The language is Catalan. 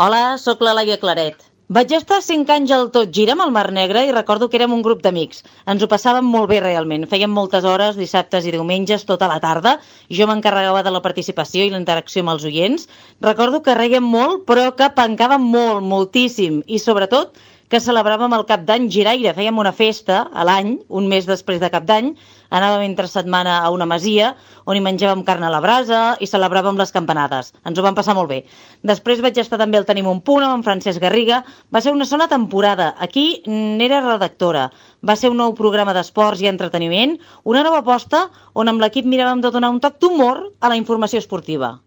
Hola, sóc la Laia Claret. Vaig estar 5 anys al Tot Gira amb el Mar Negre i recordo que érem un grup d'amics. Ens ho passàvem molt bé realment. Fèiem moltes hores, dissabtes i diumenges, tota la tarda. Jo m'encarregava de la participació i la interacció amb els oients. Recordo que reiem molt, però que pencàvem molt, moltíssim. I sobretot que celebràvem el Cap d'Any Giraire. Fèiem una festa a l'any, un mes després de Cap d'Any. Anàvem entre setmana a una masia on hi menjàvem carn a la brasa i celebràvem les campanades. Ens ho vam passar molt bé. Després vaig estar també al Tenim un punt amb en Francesc Garriga. Va ser una sola temporada. Aquí n'era redactora. Va ser un nou programa d'esports i entreteniment, una nova aposta on amb l'equip miràvem de donar un toc d'humor a la informació esportiva.